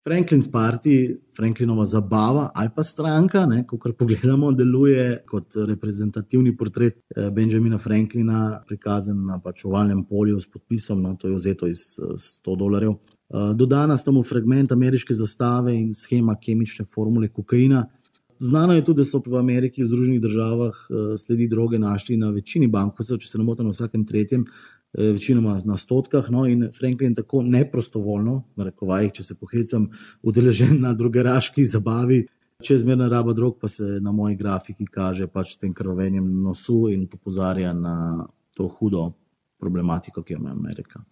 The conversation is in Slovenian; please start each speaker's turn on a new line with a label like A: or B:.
A: Franklin's Party, Franklinova zabava ali pa stranka, kakor pogledamo, deluje kot reprezentativni portret Benjamina Franklina, prikazan na pač ovalnem polju s podpisom, to je vzeto iz $100. Dodana sta mu fragment ameriške zastave in shema kemične formule kokaina. Znano je tudi, da so v Ameriki, v Združenih državah sledi droge našli na večini bankovcev, če se ne motim, na vsakem tretjem, večinoma na stotkah, in Franklin tako neprostovoljno, v narekovajih, če se pohecam, udeležen na drogeraški zabavi. Čezmerna raba drog pa se na moji grafiki kaže pač s tem krvavenjem nosu in opozarja na to hudo problematiko, ki jo ima Amerika.